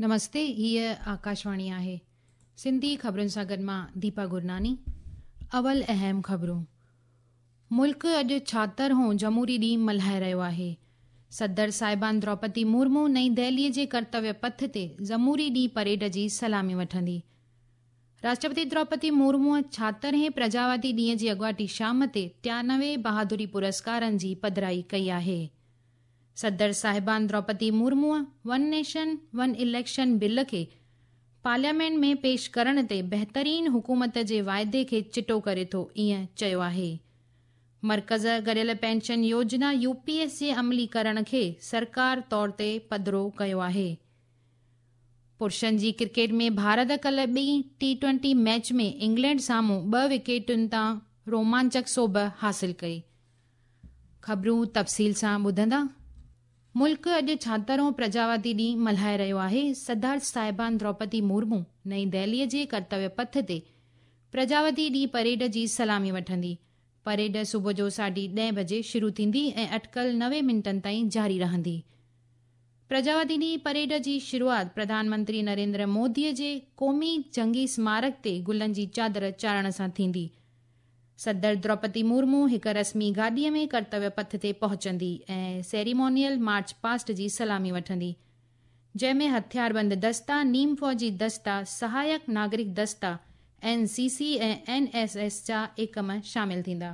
نمستي، هيء آڪاشواڻي آهي. سنڌي خبرن سان گڏ مان ديپا گرناني. اول اهم خبرون. ملڪ اڄ ڇاهتر هون جمهوري ڏينهن ملهائي رهيو آهي. صدر صاحبان دروپدي مرمو نئين دهليء جي ڪرتويه پٿ تي جمهوري ڏينهن پريڊ جي سلامي وٺندي. راشٽرپتي دروپدي مرموء ڇاهترهين پرجاوادي ڏينهن جي اڳواٽي شام تي 93 بهادري پرسڪارن جي پڌرائي ڪئي آهي. صدر صاحبان Droupadi Murmu one nation one election bill کي پارليامينٽ ۾ پيش ڪرڻ تي بهترين حڪومت جي واعدي کي چٽو ڪري ٿو ائين چيو آهي. مرڪز گڏيل پينشن يوجنا يو پي ايس جي عملي ڪرڻ کي سرڪار طور تي پڌرو ڪيو آهي. پرشن جي ڪرڪيٽ ۾ ڀارت ڪلهه ٻي ٽي ٽوئنٽي ميچ ۾ انگلينڊ سامهون 2 وڪيٽن تان رومانچڪ سوڀ حاصل ڪئي. خبرون تفصيل سان ٻڌندا. ملڪ اڄ ڇاهترهون پرجاوادي ڏينهن ملهائي رهيو آهي. صدر صاحبان دروپدي مرمو نئين دهليء جي ڪرتويه پٿ تي پرجاوادي ڏينهن پريڊ جي سلامي وٺندي. پريڊ صبح جو 10:30 بجي شروع ٿيندي ۽ اٽڪل 90 منٽن تائين جاري رهندي. پرجاوادي ڏينهن پريڊ جي شروعات پرڌان منتري نريندر موديء جي قومي جنگي سمارڪ تي گلن جي چادر چاڙهڻ سان ٿيندي. صدر دروپدي مرمو هڪ رسمي گاڏيء ۾ ڪرتويه پٿ تي پهچندي ۽ سيريمونيل مارچ پاسٽ جي سلامي وٺندي، جنهن ۾ هٿياربند دستا، نيم فوجي دستا، سهايڪ ناگرڪ دستا، N C C ۽ N S S جا ايڪم شامل ٿيندا.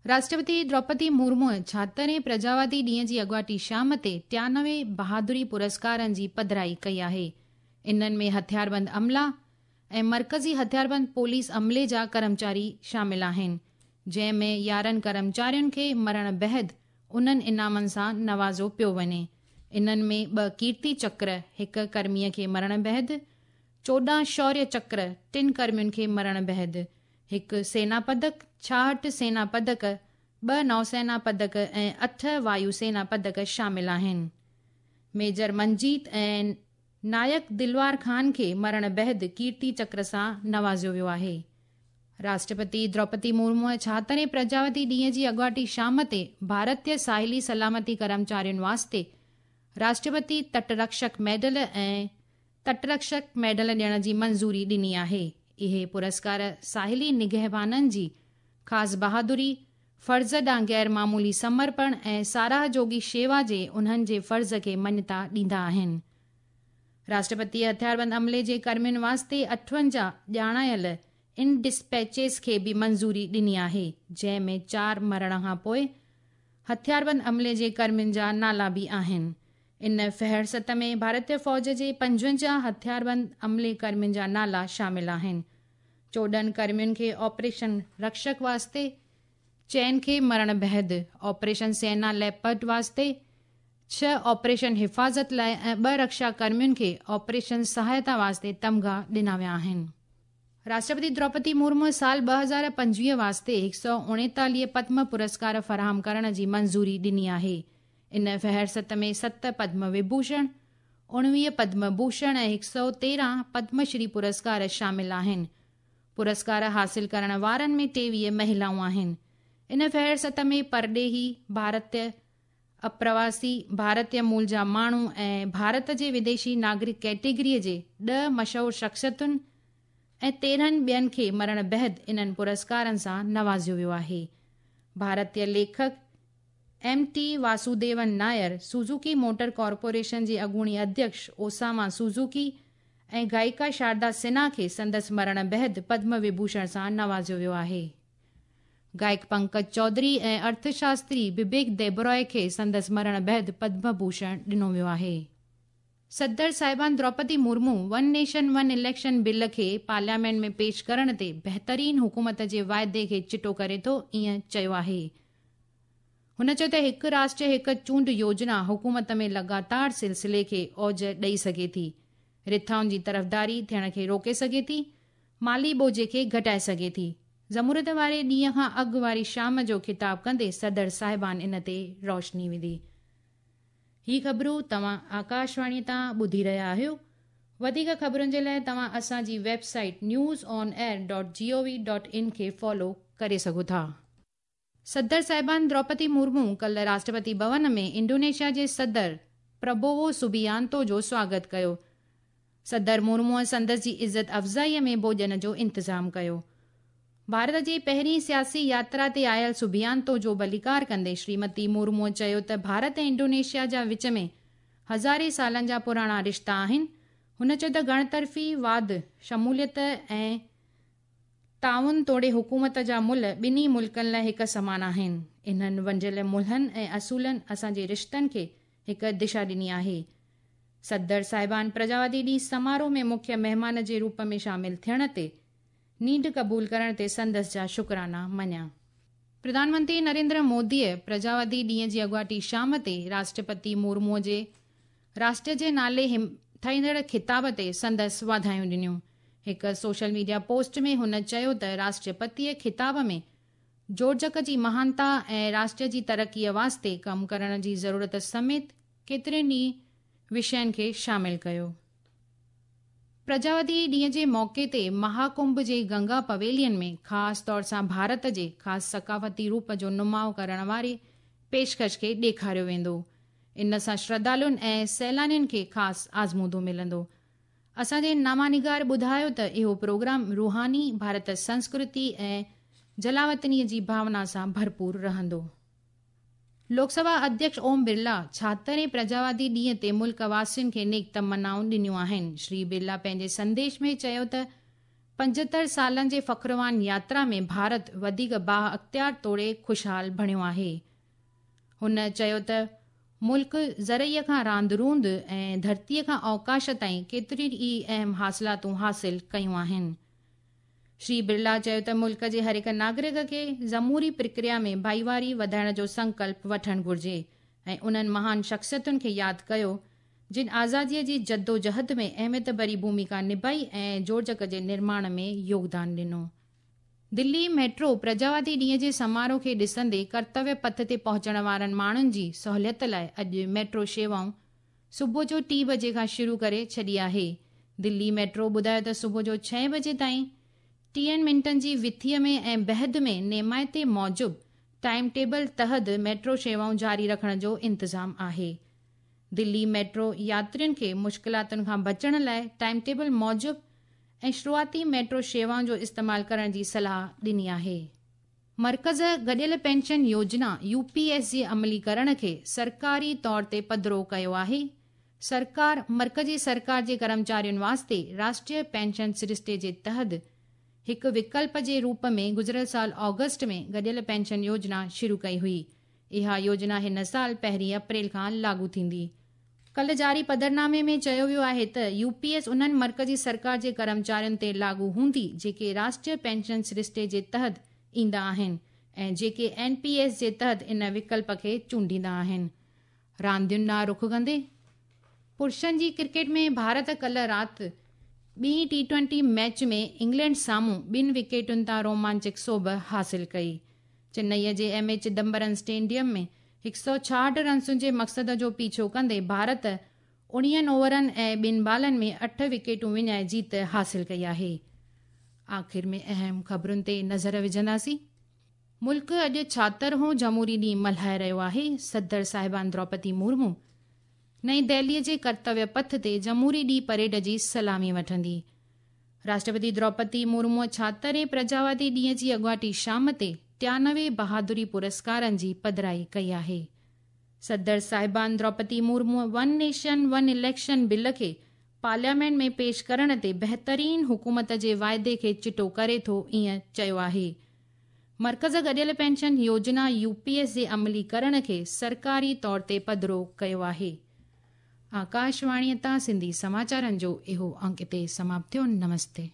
راشٽرپتي دروپدي مرموء ڇاهترهين پرجاوادي ڏينهن جي اڳواٽي شام تي 93 بهادري پرسڪارن جي پڌرائي ڪئي آهي. انهن ۾ هٿياربند عملا ۽ مرڪزي هٿياربند پوليس عملي جا ڪرمچاري شامل آهن، جنهن ۾ 11 ڪرمچارين کي مرڻ بعد انهن انعامن سان نوازيو پيو وڃي. انهن ۾ 2 ڪيرتي چڪر هڪ ڪرميء کي مرڻ بعد، 14 شوريه چڪر 3 ڪرمين کي مرڻ بعد، 1 سينا پدڪ، 66 سينا پدڪ، 2 نوسينا پدڪ ۽ 8 وايو سينا پدڪ شامل آهن. ميجر منجيت ۽ نائڪ دلوار خان کي مرڻ بعد ڪيرتي چڪر سان نوازيو ويو آهي. راشٽرپتي دروپدي مرموء ڇاهترهين پرجاوتي ڏينهن جي اڳواٽي شام تي ڀارتيه ساحلي سلامتي ڪرمچارين واسطي راشٽرپتي تٽرڪشڪ ميڊل ۽ تٽرڪشڪ ميڊل ڏيڻ جي منظوري ڏني آهي. اهي پرسڪار ساحلي نگهبانن جي خاص بهادري، فرض ڏانهن غير معمولي سمرپڻ ۽ ساراهه جوڳي شيوا جي انهن جي فرض کي مڃتا ڏيندا آهن. راشٽرپتيء هٿياربند عملي جي ڪرمين واسطي 58 ڄاڻايل ان ڊسپيچز کي به منظوري ڏني آهي، جنهن ۾ 4 مرڻ کان پوء هٿياربند عملي جي ڪرمين جا نالا به آهن. ان فهرست ۾ ڀارتيه فوج جي 55 هٿياربند عملي ڪرمين جا نالا شامل آهن. 14 ڪرمين کي آپريشن رڪشڪ واسطي، 4 کي مرڻ بعد آپريشن سينا ليپرڊ واسطي، 6 آپريشن حفاظت لاء ۽ 2 رڪشا ڪرمين کي آپريشن سهائتا واسطي تمغا ڏنا ويا آهن. راشٽرپتي دروپدي مرمو سال 2025 واسطي 139 پدم پرسڪار فراهم ڪرڻ جي منظوري ڏني آهي. ان فهرست ۾ 7 پدم وڀوشڻ، 19 پدم ڀوشڻ ۽ 113 پدم شري پرسڪار شامل آهن. پرسڪار حاصل ڪرڻ وارن ۾ 23 مهلائون آهن. ان فهرست ۾ پرڏيهي، ڀارتيه اپرواسي، ڀارتيه مول جا ماڻهو ۽ ڀارت جي وديشي ناگرڪ ڪيٽيگريء جي 10 مشهور شخصيتن ۽ 13 ٻين کي مرڻ بعد انهن پرسڪارن سان نوازيو ويو آهي. ڀارتيه ليکڪ M T Vasudevan Nair, Suzuki motor corporation جي اڳوڻي اڌيڪش اوساما سوزوڪي ۽ گائڪا شاردا سنها کي سندس مرڻ بعد پدم وڀوشڻ سان نوازيو ويو آهي. گائڪ پنڪج چوڌري ۽ ارٿشاستري ببيڪ ديبرائي کي سندس مرڻ بعد پدم ڀوشڻ ڏنو ويو آهي. صدر صاحبان Droupadi Murmu one nation one election bill کي پارليامينٽ ۾ پيش ڪرڻ تي بهترين حڪومت جي واعدي کي چٽو ڪري ٿو ائين چيو آهي. هن چيو ته هڪ راشٽر هڪ چونڊ يوجنا حڪومت ۾ لڳاتار سلسلي کي اوج ڏئي سگهي ٿي، رٿائن جي طرفداري ٿيڻ کي روڪي سگهي ٿي، مالي ٻوجهي کي گهٽائي سگهي ٿي. جمهوريت واري ڏينهن کان اڳ واري شام جو خطاب ڪندي صدر صاحبان ان تي روشني وڌي. هي خبرون توهان آڪاشواڻي تان ٻڌي رهيا آهيو. وڌيڪ خبرن جي لاء توهان اسان جي website news on air dot G O V dot in کي فالو ڪري سگهو ٿا. صدر صاحبان دروپدي مرمو ڪلهه راشٽرپتي ڀون ۾ انڊونيشيا جي صدر پربوو سوبيانتو جو سواگت ڪيو. صدر مرموءَ سندس جي عزت افزائيءَ ۾ ڀوڄن جو انتظام ڪيو. ڀارت جي پهرين سياسي ياترا تي آيل سبيانتو جو ڀليڪار ڪندي شريمتي مرموءَ چيو ته ڀارت ۽ انڊونيشيا جا وچ ۾ هزارين سالن جا پراڻا رشتا آهن. هن چيو ته گهڻطرفي واد، شموليت ۽ تعاون توڙي حڪومت جا ملهه ٻنهي ملڪن لاءِ هڪ سمان آهن. انهن ونڊيل ملهن ۽ اصولن اسان جي رشتن کي هڪ دشا ڏني آهي. صدر صاحبان پرجاوادي ڏينهن سماروهه ۾ مکيه مهمان جي روپ ۾ شامل ٿيڻ تي نينڍ قبول ڪرڻ تي سندس جا شڪرانا مڃيا. پرڌان منتري نريندر موديءَ پرجاوادي ڏينهن جي اڳواٽي شام تي راشٽرپتي مرموءَ جي راشٽر جي نالي همٿائيندڙ خطاب تي سندس واڌايون ڏنيون. هڪ سوشل ميڊيا پوسٽ ۾ هن چيو ته راشٽرپتيءَ خطاب ۾ جوڙجڪ جي مهانتا ۽ راشٽر جي ترقيءَ واسطي ڪم ڪرڻ جي ضرورت سميت ڪيترن ئي وشين کي شامل ڪيو. پرجاوادي ڏينهن جي موقعي تي مهاڪنڀ جي گنگا پويلين ۾ خاص طور سان ڀارت جي خاص ثقافتي روپ جو نماءُ ڪرڻ واري پيشڪش کي ڏيکاريو ويندو. ان سان شرڌالن ۽ سيلانين کي خاص آزمودو ملندو. اسان جي نامانگار ٻڌايو ته اهو پروگرام روحاني ڀارت سنسڪرتي ۽ جلاوطنيءَ جي ڀاونا سان ڀرپور رهندو. لوڪ سڀا اڌيڪش اوم برلا ڇاهترهين پرجاوادي ڏينهن تي ملڪ واسين کي نيڪ تمنائون ڏنيون آهن. شري برلا پنهنجي سنديش ۾ چيو ته 75 سالن جي فخروان ياترا ۾ ڀارت وڌيڪ با اختيار توڙي خوشحال بڻيو آهي. هن چيو ته ملڪ زرعيءَ کان راند روند ۽ ڌرتيءَ کان اوڪاش تائين ڪيتريون ئي اهم حاصلاتون حاصل ڪيون آهن. شري برلا چيو ته ملڪ جي هر هڪ ناگرڪ کي جمهوري پرڪريا ۾ ڀائيواري وڌائڻ جو سنڪلپ وٺڻ گهرجي ۽ انهن مهان شخصيتن کي ياد ڪيو جن آزاديءَ جي جدوجهد ۾ اهميت ڀري ڀومڪا نڀائي ۽ جوڙجڪ جي نرماڻ ۾ يوگدان ڏنو. دلي ميٽرو پرجاوادي ڏينهن جي سماروهه کي ڏسندي ڪرتويه پٿ تي پهچڻ وارن ماڻهن جي سهوليت لاءِ اڄ ميٽرو شيوائون صبح جو 3 بجي کان شروع ڪري ڇڏي آهي. دلي ميٽرو ٻڌايو ته صبح جو 6 بجي تائين 30 منٽن جي وٿيءَ ۾ ۽ بعد ۾ نيمائتي موجب ٽائيم ٽيبل تحت ميٽرو شيوائون جاري رکڻ جو انتظام آهي. دلي ميٽرو ياترين کي مشڪلاتن کان بچڻ لاءِ ٽائيم ٽيبل موجب ۽ شروعاتي ميٽرو شيوائن جو استعمال ڪرڻ جي صلاح ڏني آهي. مرڪز گڏيل پينشن يوجنا يو پي ايس جي عمليڪرڻ کي سرڪاري طور تي پڌرو ڪيو آهي. سرڪار مرڪزي سرڪار جي ڪرمچارين واسطي راشٽريه پينشن سرشتي جي تحت هڪ وڪلپ جي روپ ۾ گذريل سال آگسٽ ۾ گڏيل پينشن يوجنا شروع ڪئي هئي. اها يوجنا هن سال 1 اپريل کان لاڳو ٿيندي. ڪلهه جاري پڌرنامي ۾ چيو ويو آهي ته يو پي ايس انهن مرڪزي سرڪار جي ڪرمچارين تي لاڳو هوندي جيڪي راشٽريه پينشن سرشتي جي تحت ايندا آهن ۽ جيڪي اين پي ايس جي تحت ان وڪلپ کي چونڊيندا آهن. راندين ڏانهن رخ ڪندي پرشن جي ڪرڪيٽ ۾ ڀارت ڪلهه رات ٻي ٽي-20 ميچ ۾ انگلينڊ سامهون 2 وڪيٽن تان رومانچڪ سوڀ حاصل ڪئي. چنئيءَ جي ايم اي چدمبرم اسٽيڊيم ۾ 166 رنسن جي مقصد جو پيڇو ڪندي ڀارت 19 اوورن ۽ 2 بالن ۾ 8 وڪيٽون وڃائي جيت حاصل ڪئي آهي. آخر ۾ اهم خبرن تي نظر وجهنداسين. ملڪ اڄ 76هون جمهوري ڏينهن ملهائي رهيو آهي. صدر صاحبان دروپدي مرمو نئين دهليءَ جي ڪرتويه پٿ تي جمهوري ڏينهن پريڊ جي سلامي وٺندي. راشٽرپتي دروپدي مرموءَ 76هين پرجاوادي ڏينهن جي اڳواٽي شام تي 93 بهادري پرسڪارن جي پڌرائي ڪئي آهي. صدر صاحبان دروپدي مرموءَ one nation one election bill کي پارليامينٽ ۾ پيش ڪرڻ تي بهترين حڪومت جي واعدي کي چٽو ڪري ٿو ائين چيو آهي. مرڪز گڏيل پينشن يوجنا يو پي ايس جي عمليڪرڻ کي سرڪاري طور تي پڌرو ڪيو آهي. آڪاشواڻيءَ تان سنڌي سماچارن جو اهو انڪ هتي سماپت ٿيو. نمستي.